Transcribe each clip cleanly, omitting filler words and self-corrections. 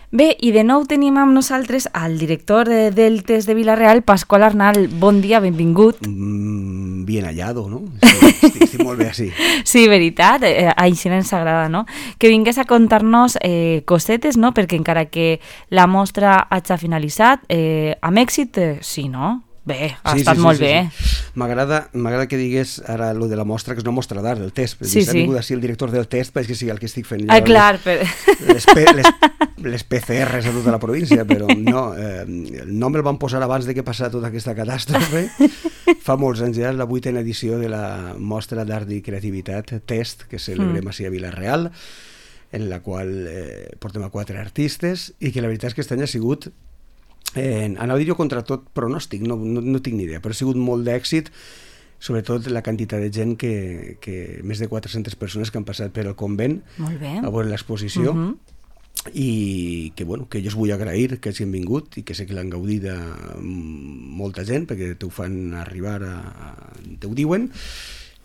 Bé, i de nou tenim amb nosaltres al director de Deltes de Vila-real, Pasqual Arnal. Bon dia, benvingut. Bien hallado, no? Estic molt bé així. Sí, veritat, així ens agrada, no? Que vingués a contar-nos cosetes, no? Perquè encara que la mostra hagi finalitzat, amb èxit, sí, no? Bé, ha estat molt bé. M'agrada que digués ara lo de la mostra, que és una mostra d'art del test. Sí. Ha vingut així el director del test, perquè sigui el que estic fent. Clar. Les PCRs a tota la província, però no, el nom el van posar abans de que passara tota aquesta catàstrofe. Fa molts anys ja, és la 8ª edició de la mostra d'art i creativitat Test, que celebrem així a Vila-real, en la qual portem a 4 artistes, i que la veritat és que aquest any ha sigut, anava a dir-ho contra tot pronòstic, no tinc ni idea, però ha sigut molt d'èxit, sobretot la quantitat de gent que més de 400 persones que han passat per el convent a veure l'exposició, i que jo us vull agrair que hagin vingut i que sé que l'han gaudit molta gent, perquè t'ho fan arribar, t'ho diuen,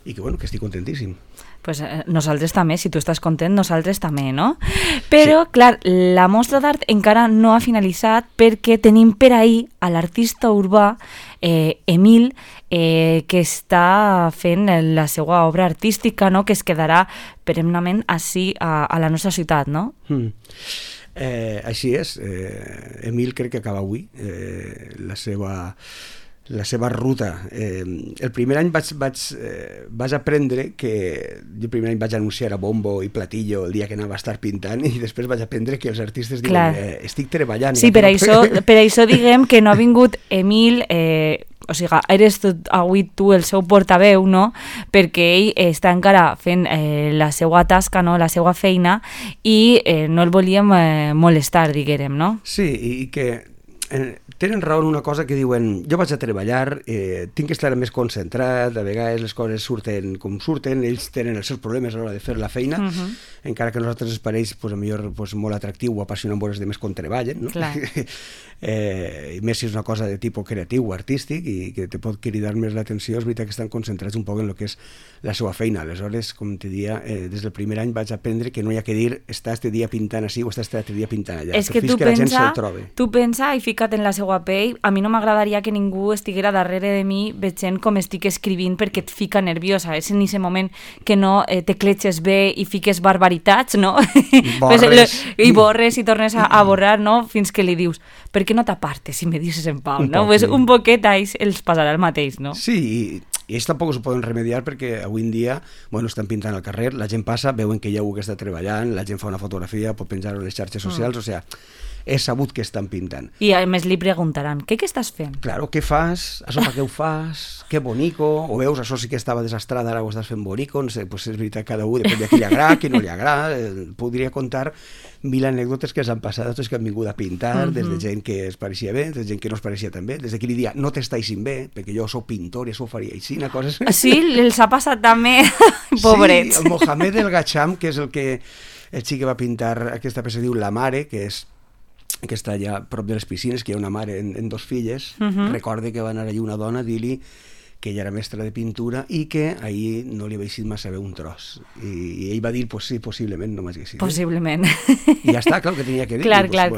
i que estic contentíssim. Pues nosaltres també, si tu estàs content, nosaltres també, no? Però, sí. Clar, la mostra d'art encara no ha finalitzat perquè tenim per ahir a l'artista urbà Emil, que està fent la seva obra artística, no? Que es quedarà perennament així a la nostra ciutat, no? Així és. Emil crec que acaba avui la seva ruta. El primer any vaig aprendre que... Jo el primer any vaig anunciar a bombo i platillo el dia que anava a estar pintant, i després vaig aprendre que els artistes diuen estic treballant. Sí, per això diguem que no ha vingut Emil... O sigui, eres avui tu el seu portaveu, no? Perquè ell està encara fent la seva tasca, no? La seva feina, i no el volíem molestar, diguem, no? Sí, i que... tenen raó en una cosa que diuen, jo vaig a treballar, tinc que estar més concentrat, a vegades les coses surten com surten, ells tenen els seus problemes a l'hora de fer la feina, encara que a nosaltres ens pareix molt atractiu o apassionant veure els demés com treballen, no? I més si és una cosa de tipus creatiu o artístic i que te pot cridar més l'atenció, és veritat que estan concentrats un poc en el que és la seva feina. Aleshores, com te dia, des del primer any vaig aprendre que no hi ha que dir està este dia pintant així o està este dia pintant allà, és que tu pensa i fica't en la seva pell. A mi no m'agradaria que ningú estiguera darrere de mi veient com estic escrivint perquè et fica nerviosa. És en aquest moment que no te cletxes bé i fiques barbaritats, no? I borres i tornes a borrar, no? Fins que li dius, per què no t'apartes si me dices en pau, no? Pues un poquet a ells els passarà el mateix, no? Sí, i ells tampoc s'ho poden remediar perquè avui en dia, estan pintant al carrer, la gent passa, veuen que hi ha algú que està treballant, la gent fa una fotografia, pot penjar-ho a les xarxes socials, o sigui, és sabut que estan pintant. I a més li preguntaran, què estàs fent? Claro, què fas? Això per què ho fas? Que bonico? O veus, això sí que estava desastrada, ara ho estàs fent bonico? No sé, és veritat, cada un, depèn de qui li agrada, qui no li agrada. Podria contar 1000 anècdotes que s'han passat, tots que han vingut a pintar, des de gent que es pareixia bé, des de gent que no es pareixia tan bé, des de qui li dia, no t'estaixin bé, perquè jo sóc pintor i això ho faria així, coses... Sí, els ha passat també, pobrets. Sí, el Mohamed El Gacham, que és el xic que va pintar aquesta peça, diu La Mare, que està allà a prop de les piscines, que hi ha una mare en 2 filles, recorde que va anar allà una dona a dir-li que ella era mestra de pintura i que ahir no li havia eixit massa bé un tros. I ell va dir, pues sí, possiblement no m'hagi eixit. Possiblement. I ja està, clar, que tenia que dir. Clar.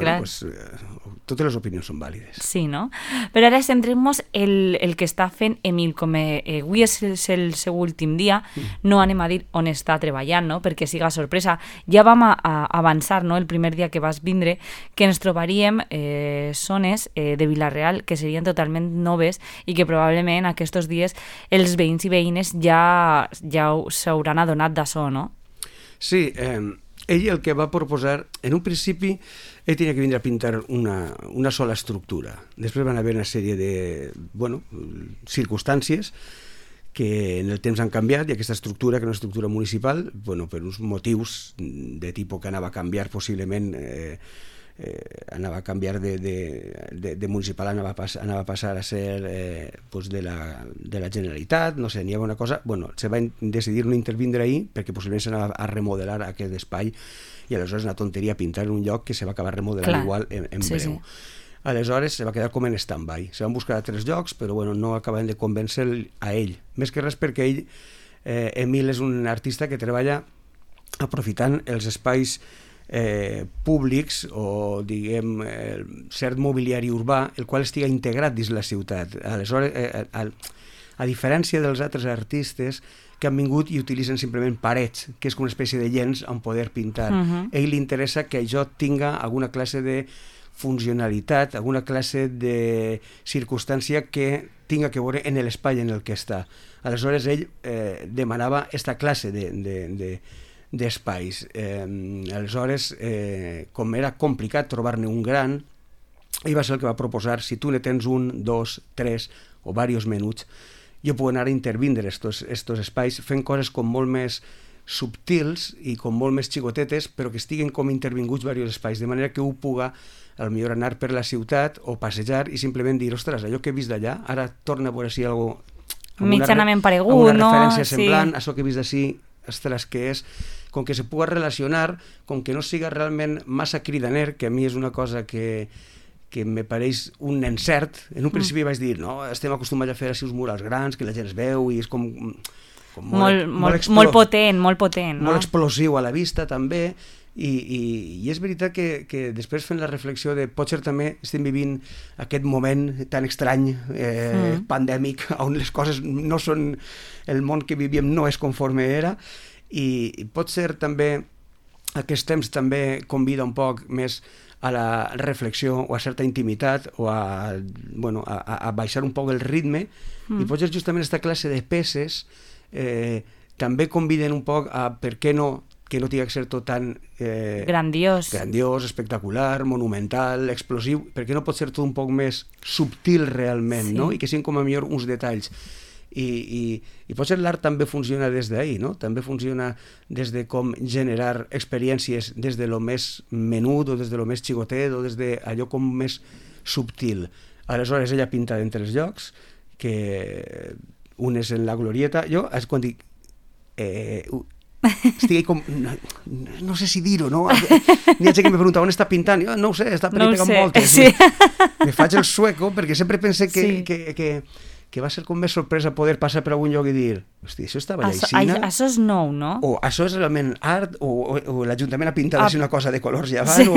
Totes les opinions són vàlides. Sí, no? Però ara centrem-nos el que està fent Emil, com avui és el seu últim dia, no anem a dir on està treballant, no? Perquè siga sorpresa. Ja vam avançar, no?, el primer dia que vas vindre, que ens trobaríem zones de Vila-real que serien totalment noves i que probablement aquests dies els veïns i veïnes ja s'hauran adonat d'això, no? Sí, ell el que va proposar, en un principi, ell tenia que vindre a pintar una sola estructura. Després van haver una sèrie de circumstàncies que en el temps han canviat, i aquesta estructura, que és una estructura municipal, per uns motius de tipus que anava a canviar possiblement, anava a canviar de municipal, anava a passar a ser de la Generalitat, no sé, n'hi havia una cosa, se va decidir no intervindre ahir perquè possiblement s'anava a remodelar aquest espai i aleshores una tonteria pintar en un lloc que se va acabar remodelant igual en breu. Sí. Aleshores se va quedar com en stand-by, se van buscar altres llocs però no acabaven de convèncer a ell, més que res perquè ell, Emil, és un artista que treballa aprofitant els espais públics o, diguem, cert mobiliari urbà, el qual estiga integrat dins la ciutat. Aleshores, a diferència dels altres artistes que han vingut i utilitzen simplement parets, que és com una espècie de llenç on poder pintar. A ell li interessa que això tinga alguna classe de funcionalitat, alguna classe de circumstància que tinga que veure en l'espai en el que està. Aleshores, ell demanava aquesta classe d'espais. Aleshores, com era complicat trobar-ne un gran, ell va ser el que va proposar, si tu ne tens un, dos, tres o diversos menuts, jo puc anar a intervindre estos espais fent coses com molt més subtils i com molt més xicotetes, però que estiguen com intervinguts diversos espais, de manera que ho puga al millor anar per la ciutat o passejar i simplement dir, ostres, allò que he vist d'allà, ara torna a veure si hi ha alguna mitjanament paregut, una no? referència semblant, això que he vist d'ací, ostres, que és, com que se puga relacionar, com que no siga realment massa cridaner, que a mi és una cosa que me pareix un encert. En un principi vaig dir, no, estem acostumats a fer així uns murals grans, que la gent es veu i és com molt potent, no? Molt explosiu a la vista també, i és veritat que després fent la reflexió de potser també estem vivint aquest moment tan estrany, pandèmic, on les coses no són, el món que vivíem no és conforme era, i potser també aquest temps també convida un poc més a la reflexió o a certa intimitat o a baixar un poc el ritme, i potser justament aquesta classe de peces també conviden un poc a per què no que no tingui que ser tot tan grandiós, espectacular, monumental, explosiu, perquè no pot ser tot un poc més subtil realment, no? I que siguin com a millor uns detalls. I potser l'art també funciona des d'ahí, no? També funciona des de com generar experiències des de lo més menut o des de lo més xicotet o des d'allò com més subtil. Aleshores ella pinta en tres llocs, que un és en la Glorieta. Jo, quan dic estic com, no sé si dir-ho, no? N'hi ha gent que me pregunta on està pintant, jo no ho sé, està pegant moltes. Sí. Me faig el sueco perquè sempre pensé que va ser com més sorpresa poder passar per algun lloc i dir, hosti, això estava allà aixina? Això és nou, no? O això és realment art, o l'Ajuntament ha pintat així una cosa de colors ja abans,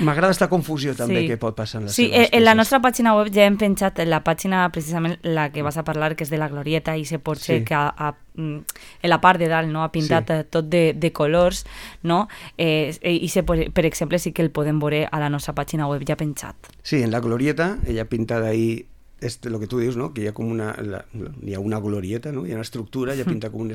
m'agrada aquesta confusió també que pot passar en les seves peces. Sí, en la nostra pàgina web ja hem penjat la pàgina precisament la que vas a parlar, que és de la Glorieta, i se pot ser que en la part de dalt ha pintat tot de colors, no? I per exemple sí que el podem veure a la nostra pàgina web ja penjat. Sí, en la Glorieta, ella ha pintat ahí lo que tu dius, no? Que hi ha com hi ha una glorieta, no? Hi ha una estructura, ella pinta com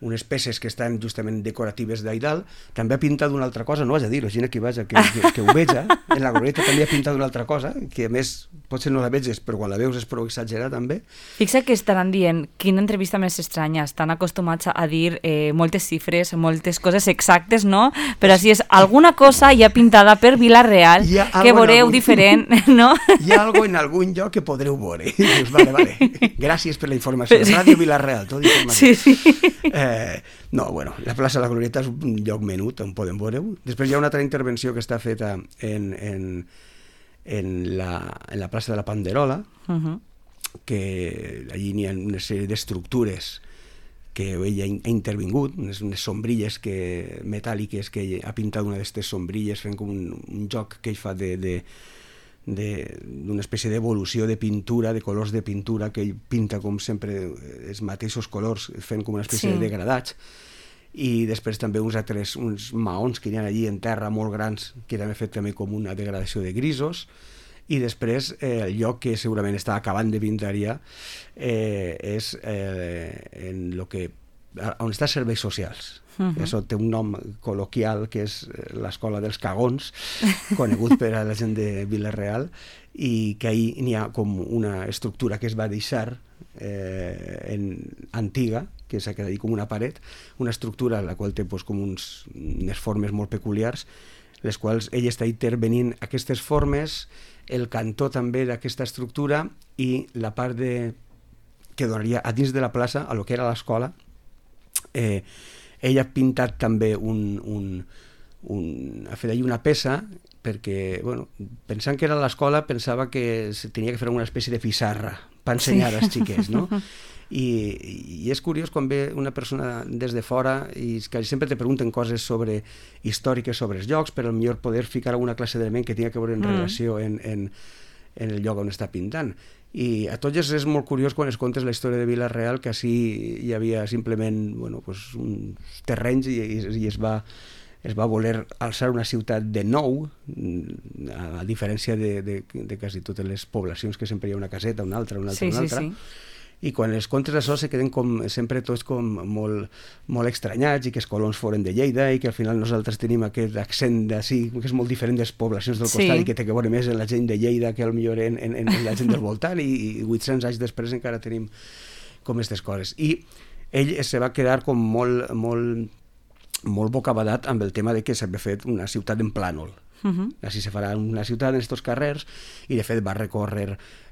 unes peces que estan justament decoratives d'ahí dalt. També ha pintat una altra cosa, no vaig a dir-ho, gent que vaja, que ho veja, en la glorieta també ha pintat una altra cosa, que a més potser no la veges, però quan la veus és prou exagerat també. Fixa que estaran dient, quina entrevista més estranya, estan acostumats a dir moltes xifres, moltes coses exactes, no? Però si és alguna cosa ja pintada per Vila-real, que veureu diferent, no? Hi ha alguna en algun lloc que podreu veure. Dius, vale, gràcies per la informació. Ràdio Vila-real, tot informació. Sí. No, bueno, la plaça de la Glorieta és un lloc menut on podem veure-ho. Després hi ha una altra intervenció que està feta en la plaça de la Panderola, que allí n'hi ha una sèrie d'estructures que ella ha intervingut, unes sombrilles metàl·liques que ella ha pintat una d'aquestes sombrilles fent com un joc que ell fa d'una espècie d'evolució de pintura, de colors de pintura, que ell pinta com sempre els mateixos colors fent com una espècie de degradats, i després també uns maons que hi ha allí en terra molt grans que també fet també com una degradació de grisos, i després el lloc que segurament està acabant de pintar ja és en lo que on està serveis socials. Això té un nom col·loquial que és l'escola dels cagons, conegut per a la gent de Vila-real, i que ahí n'hi ha com una estructura que es va deixar antiga, que s'ha quedat com una paret, una estructura la qual té com unes formes molt peculiars, les quals ell està intervenint aquestes formes, el cantó també d'aquesta estructura i la part que donaria a dins de la plaça, a lo que era l'escola. Ell ha pintat també ha fet allà una peça perquè, bueno, pensant que era l'escola, pensava que se tenia que fer una espècie de pissarra per ensenyar als xiquets, no? I és curiós quan ve una persona des de fora i que sempre te pregunten coses històriques sobre els llocs, per millor poder ficar alguna classe d'element que tingui a veure en relació en el lloc on està pintant. I a tots és molt curiós quan es contes la història de Vila-real, que així hi havia simplement uns terrenys i es va voler alçar una ciutat de nou, a diferència de quasi totes les poblacions, que sempre hi ha una caseta, una altra. Sí. I quan els contes d'això se queden sempre tots molt estranyats, i que els colons foren de Lleida, i que al final nosaltres tenim aquest accent d'ací, que és molt diferent de les poblacions del costat, i que té que veure més en la gent de Lleida que potser en la gent del voltant, i 800 anys després encara tenim com aquestes coses. I ell se va quedar com molt bocabadat amb el tema de que s'havia fet una ciutat en plànol. Així se farà una ciutat en aquests carrers, i de fet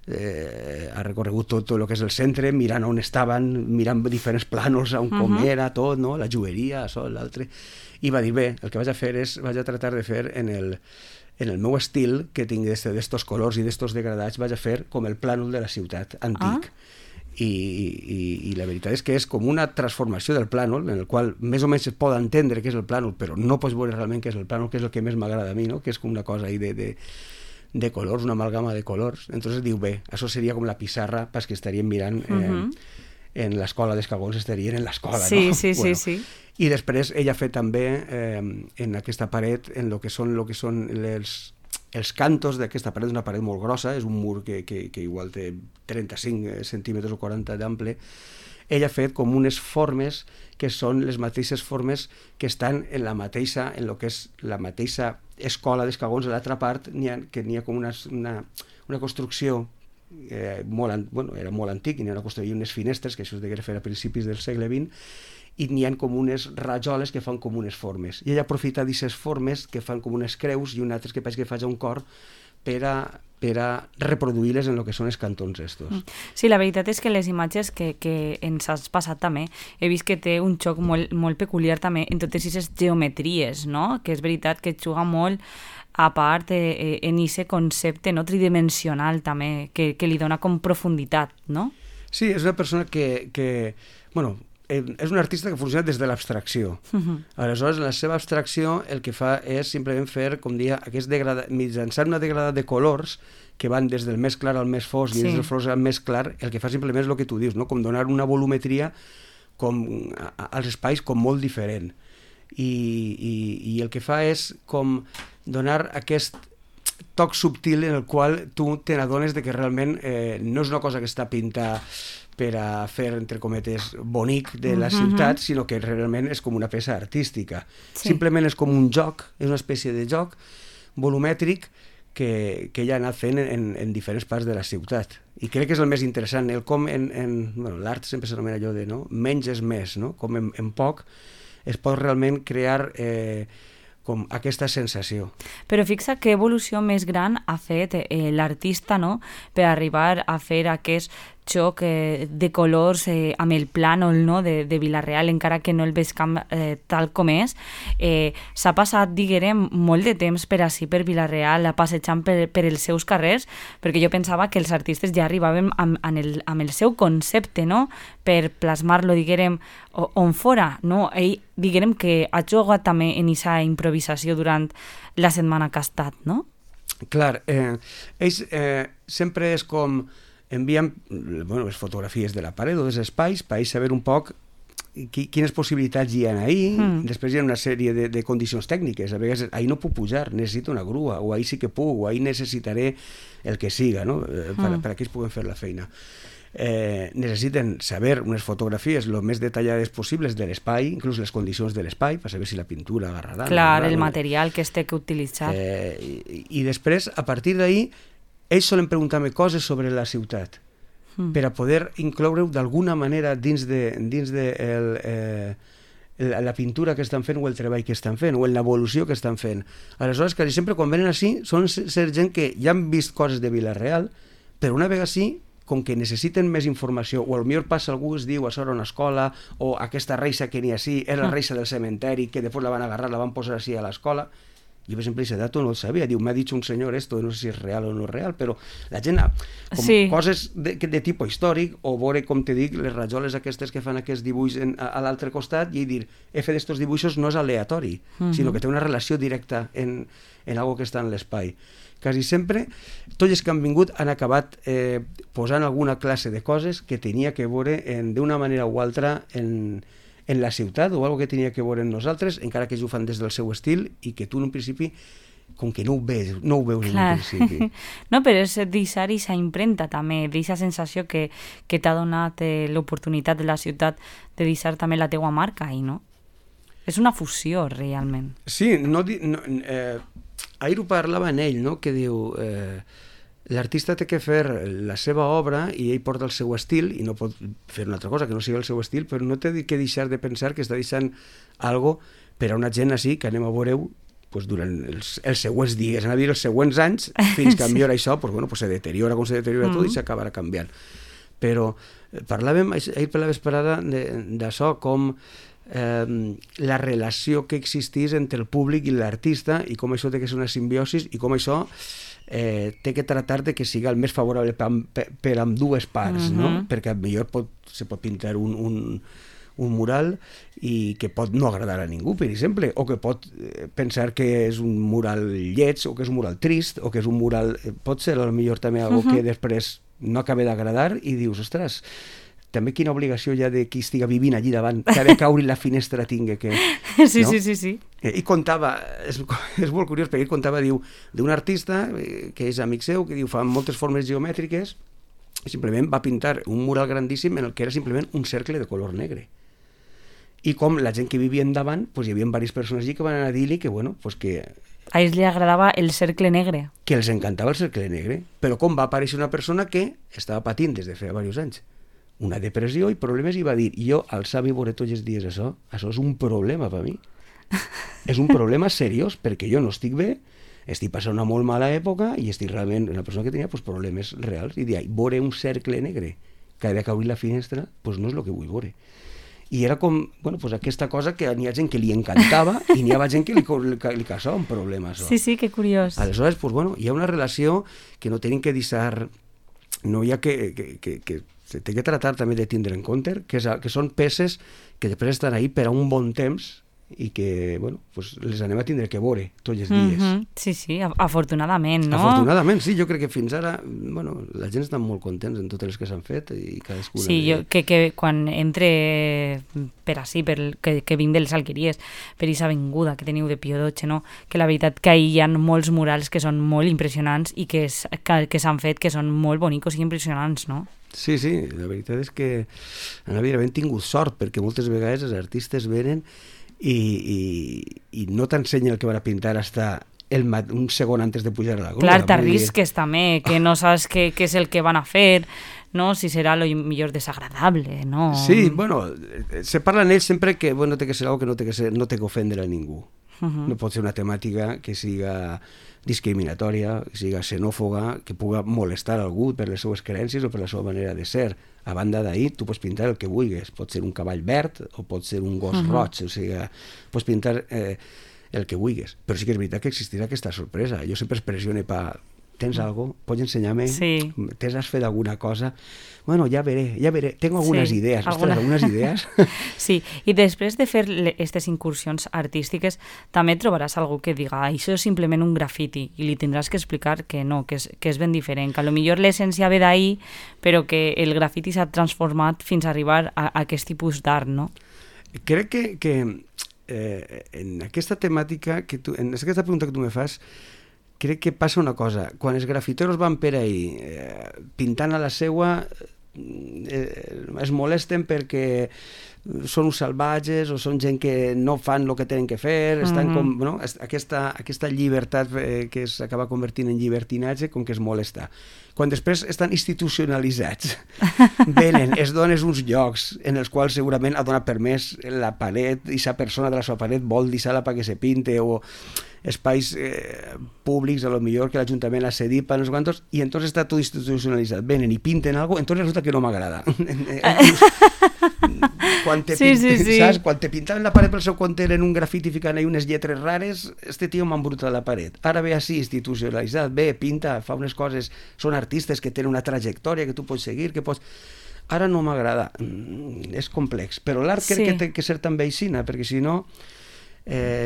ha recorregut tot el que és el centre, mirant on estaven, mirant diferents plànols, on com era tot, no? La joieria, això, l'altre, i va dir, bé, el que vaig a fer vaig a tratar de fer en el meu estil, que tinc d'estos colors i d'estos degradats, vaig a fer com el plànol de la ciutat antic. I la veritat és que és com una transformació del plànol, en el qual més o menys es pot entendre què és el plànol, però no pots veure realment què és el plànol, que és el que més m'agrada a mi, no? Que és com una cosa ahí de colors, una amalgama de colors. Entonces diu, bé, això seria com la pissarra pas que estaríem mirant en l'escola dels cagons, estarien en l'escola, no? Sí. I després ella ha fet també en aquesta paret, en lo que són els cantos d'aquesta paret, una paret molt grossa, és un mur que igual té 35 centímetres o 40 d'ample. Ella ha fet com unes formes que són les mateixes formes que estan en lo que és la mateixa escola dels cagons. A l'altra part n'hi ha com una construcció era molt antic, i n'hi ha unes finestres, que això es degué fer a principis del segle XX, i n'hi ha com unes rajoles que fan com unes formes. I ella aprofita d'aquestes formes que fan com unes creus, i un altre que pensa que faig un cor, per a reproduir-les en el que són els cantons estos. Sí, la veritat és que les imatges que ens has passat també, he vist que té un xoc molt peculiar també en totes aquestes geometries, no? Que és veritat que juga molt a part en aquest concepte no tridimensional també, que li dona com profunditat, no? Sí, és una persona que és un artista que funciona des de l'abstracció. Aleshores, en la seva abstracció, el que fa és simplement fer, com dia, mitjançant una degradada de colors que van des del més clar al més fosc i des del fosc al més clar, el que fa simplement és el que tu dius, no? Com donar una volumetria als espais com molt diferent. I el que fa és com donar aquest toc subtil en el qual tu te n'adones de que realment no és una cosa que està pintada per a fer, entre cometes, bonic de la ciutat, sinó que realment és com una peça artística. Simplement és com un joc, és una espècie de joc volumètric que ella ha anat fent en diferents parts de la ciutat. I crec que és el més interessant, el com l'art sempre s'anomena allò de menys és més, no? Com en poc es pot realment crear com aquesta sensació. Però fixa que evolució més gran ha fet l'artista, no?, per arribar a fer aquest xoc de colors amb el plànol, no?, de Vila-real, encara que no el veig tal com és. S'ha passat, diguem, molt de temps per ací, per Vila-real, passejant per els seus carrers, perquè jo pensava que els artistes ja arribaven amb el seu concepte, no?, per plasmar-lo, diguem, on fora, no? Ell, diguem, que ha jugat també en aquesta improvisació durant la setmana que ha estat, no? Clar, ells sempre és com envien les fotografies de la paret o dels espais per saber un poc quines possibilitats hi ha ahí. Després hi ha una sèrie de condicions tècniques. A vegades ahí no puc pujar, necessito una grua, o ahí sí que puc, o ahí necessitaré el que siga, no? Per a que ells puguen fer la feina. Necessiten saber unes fotografies el més detallades possibles de l'espai, inclús les condicions de l'espai, per saber si la pintura agarrarà. Clar, el material que es té que utilitzar. I després, a partir d'ahí, ells solen preguntar-me coses sobre la ciutat per a poder incloure-ho d'alguna manera dins de la pintura que estan fent o el treball que estan fent o en l'evolució que estan fent. Aleshores, quasi sempre quan venen així són gent que ja han vist coses de Vila-real, però una vegada així, com que necessiten més informació, o potser passa algú es diu això era una escola, o aquesta reixa que n'hi ha així era la reixa del cementeri, que després la van agarrar, la van posar així a l'escola, Jo, per exemple, aquest dato no el sabia. Diu, m'ha dit un senyor esto, no sé si és real o no és real, però la gent, com coses de tipus històric, o veure, com te dic, les rajoles aquestes que fan aquests dibuix a l'altre costat, i dir, fer d'estos dibuixos no és aleatori, sinó que té una relació directa en algo que està en l'espai. Quasi sempre, tots els que han vingut han acabat posant alguna classe de coses que tenia que veure d'una manera o altra en la ciutat, o algo que tenia que veure en nosaltres, encara que ells ho fan des del seu estil, i que tu en un principi, com que no ho veus en un principi. No, però és deixar aquesta impremta també, d'aquesta sensació que t'ha donat l'oportunitat de la ciutat de deixar també la teua marca ahí, no? És una fusió, realment. Sí, ahir ho parlava en ell, no? Que diu, l'artista té que fer la seva obra i ell porta el seu estil i no pot fer una altra cosa que no sigui el seu estil, però no té que deixar de pensar que està deixant algo per a una gent així que anem a veure-ho durant els següents dies, anar a dir els següents anys, fins que millor això se deteriora com se deteriora tot i s'acabarà canviant. Però parlàvem ahir per la vesprada d'això, com la relació que existís entre el públic i l'artista, i com això té que ser una simbiosi, i com això té que tratar de que sigui el més favorable per amb dues parts, no? Perquè millor se pot pintar un mural i que pot no agradar a ningú, per exemple, o que pot pensar que és un mural lleig, o que és un mural trist, o que és un mural... Pot ser potser també algo que després no acaba d'agradar i dius, ostres, també quina obligació hi ha de qui estiga vivint allí davant, que ha de caure la finestra tinga que... Sí, no? Sí. I contava, és molt curiós, perquè ell contava, diu, d'un artista que és amic seu, que diu, fa moltes formes geomètriques, i simplement va pintar un mural grandíssim en el que era simplement un cercle de color negre. I com la gent que vivia endavant, hi havia diverses persones allí que van anar a dir-li que, que... A ells li agradava el cercle negre. Que els encantava el cercle negre, però com va aparèixer una persona que estava patint des de fa diversos anys una depressió i problemes, i va dir, jo alçar i veure tots els dies això és un problema per mi. És un problema seriós, perquè jo no estic bé, estic passant una molt mala època i estic realment una persona que tenia problemes reals, i dir, veure un cercle negre que ha de caure la finestra, no és el que vull veure. I era com, aquesta cosa que n'hi ha gent que li encantava i n'hi ha gent que li causava un problema, això. Sí, que curiós. Aleshores, hi ha una relació que no tenim que deixar, no hi ha que se té que tratar també de tindre en compte, que són peces que després estan ahí per a un bon temps i que, les anem a tindre que veure tots els dies. Sí, afortunadament, no? Afortunadament, sí, jo crec que fins ara, la gent està molt contents en totes les que s'han fet i cadascuna... Sí, jo que quan entre per ací, que vinc de les Alqueries, per aquesta avinguda que teniu de Pío XII, no? Que la veritat que hi ha molts murals que són molt impressionants i que s'han fet que són molt bonicos i impressionants, no? Sí, la veritat és que hem tingut sort, perquè moltes vegades els artistes venen i no t'ensenyen el que van a pintar hasta un segon antes de pujar a la grua. Clar, t'arrisques també, que no saps què és el que van a fer, no? Si serà lo millor desagradable, no? Sí, se parla en ells sempre que té que ser algo que no té que ofendre a ningú. No pot ser una temàtica que siga discriminatòria, que siga xenòfoga, que puga molestar algú per les seues creences o per la seva manera de ser. A banda d'ahir, tu pots pintar el que vulguis. Pot ser un cavall verd o pot ser un gos roig, o sigui, pots pintar el que vulguis. Però sí que és veritat que existirà aquesta sorpresa. Jo sempre es pressione tens algo? Pots ensenyar-me? Sí. Has fet alguna cosa? Ja veré. Tengo algunes idees. Ostres, algunes idees? Sí, i després de fer aquestes incursions artístiques, també trobaràs algú que diga, això és simplement un grafiti, i li tindràs que explicar que no, que és ben diferent, que potser l'essència ve d'ahir, però que el grafiti s'ha transformat fins a arribar a aquest tipus d'art, no? Crec que en aquesta temàtica, en aquesta pregunta que tu me fas, crec que passa una cosa. Quan els grafiteros van per ahí pintant a la seua, es molesten perquè són uns salvatges o són gent que no fan el que tenen que fer, estan com, aquesta llibertat que s'acaba convertint en llibertinatge, com que es molesta. Quan després estan institucionalitzats, venen, es donen uns llocs en els quals segurament ha donat permès la paret, i la persona de la seva paret vol deixar-la perquè se pinte, o espais públics, a lo millor que l'Ajuntament ha cedit per uns quantos, i entonces està tot institucionalitzat. Venen i pinten algo, entonces resulta que no m'agrada. Quan te, Sí, sí, sí. saps? Quan te pintaven la paret pel seu compte en un grafiti ficant ahí unes lletres rares, este tio m'ha embrutat la paret. Ara ve així, institucionalitzat, ve, pinta, fa unes coses, són artistes que tenen una trajectòria que tu pots seguir, que pots... Ara no m'agrada, és complex, però l'art crec que té que ser també aixina, perquè si no,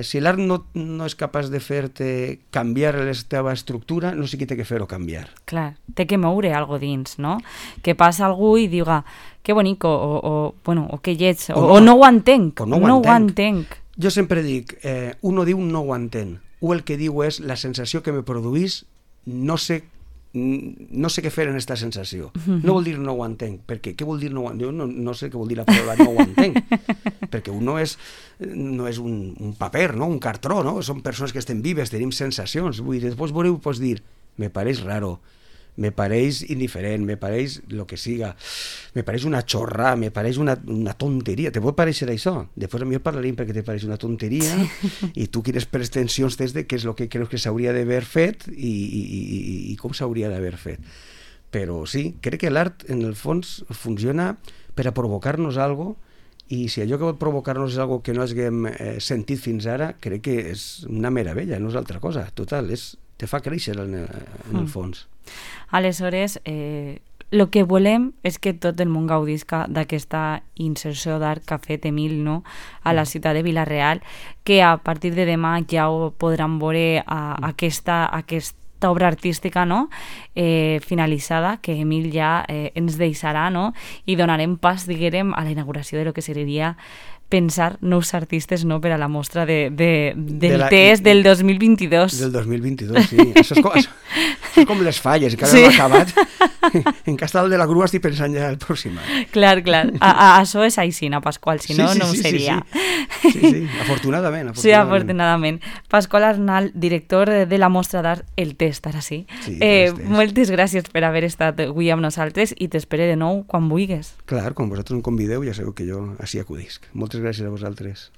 si l'art no és capaç de fer-te canviar la teva estructura, no sé qui té que fer-ho canviar. Clar, té que moure algo dins, no? Que passa algú i diga, que bonic, o que lleig, o no ho entenc, o no ho entenc. Jo sempre dic, un no diu no ho entén, o el que diu és la sensació que me produís, no sé què fer en aquesta sensació. No vol dir no ho entenc, perquè què vol dir no ho entenc? Jo no sé què vol dir la paraula no ho entenc, perquè un no és un paper, no? Un cartró, no? Són persones que estem vives, tenim sensacions. Vull dir, després veureu, pots dir, me pareix raro, me pareix indiferent, me pareix lo que siga, me pareix una xorra, me pareix una tonteria. Te pot pareixer això? Després a mi parlarem perquè te pareix una tonteria i tu quines pretensions tens de què és el que creus que s'hauria d'haver fet i com s'hauria d'haver fet. Però sí, crec que l'art en el fons funciona per a provocar-nos alguna cosa, i si allò que pot provocar-nos és algo que no haguem sentit fins ara, crec que és una meravella, no és altra cosa. Total, te fa créixer en el fons. Aleshores, el que volem és que tot el món gaudisca d'aquesta inserció d'art que ha fet Emil, no? A la ciutat de Vila-real, que a partir de demà ja ho podran veure aquesta obra artística, no? Finalitzada, que Emil ja ens deixarà, no? I donarem pas, diguem, a la inauguració de lo que seria pensar nous artistes, no?, per a la mostra del test del 2022. Del 2022, sí. Això és com les falles, que ara no ha acabat. En cas de la grua estic pensant ja el pròxim any. Clar. Això és aixina, Pasqual, si no, no ho seria. Sí, afortunadament. Sí, afortunadament. Pasqual Arnal, director de la mostra d'art El Test, ara sí. Moltes gràcies per haver estat avui amb nosaltres i t'espero de nou quan vulguis. Clar, quan vosaltres em convideu ja sabeu que jo així acudisc. Moltes gràcies a vosaltres.